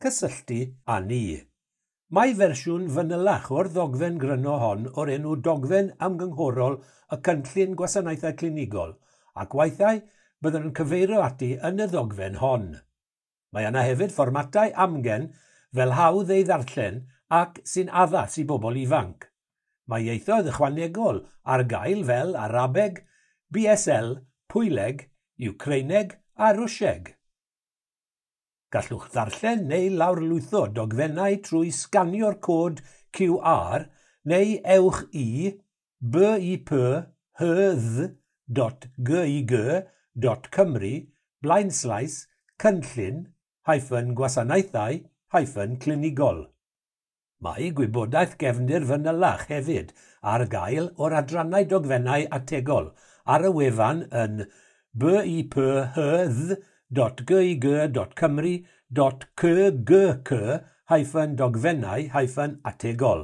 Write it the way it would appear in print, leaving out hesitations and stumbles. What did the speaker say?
Cysylltu â ni. Mae fersiwn fanylach o'r ddogfen gryno hon o'r enw Dogfen Ymgynghorol y Cynllun Gwasanaethau Clinigol, ac weithiau byddwn yn cyfeirio ati yn y ddogfen hon. Mae yna hefyd fformatau amgen fel hawdd ei ddarllen ac sy'n addas i bobl ifanc. Mae ieithoedd ychwanegol ar gael fel Arabeg, BSL, Pwyleg, Wcreineg a Rwsieg. Gallwch ddarllen neu lawrlwytho dogfennau trwy sganio'r cod QR neu ewch i biphdd.gig.cymru blaenslaes cynllun-gwasanaethau-clinigol. Mae gwybodaeth gefndir fanylach hefyd ar gael o'r adrannau dogfennau ategol ar y wefan yn biphdd.gig.cymru.cgc-dogfennau-ategol.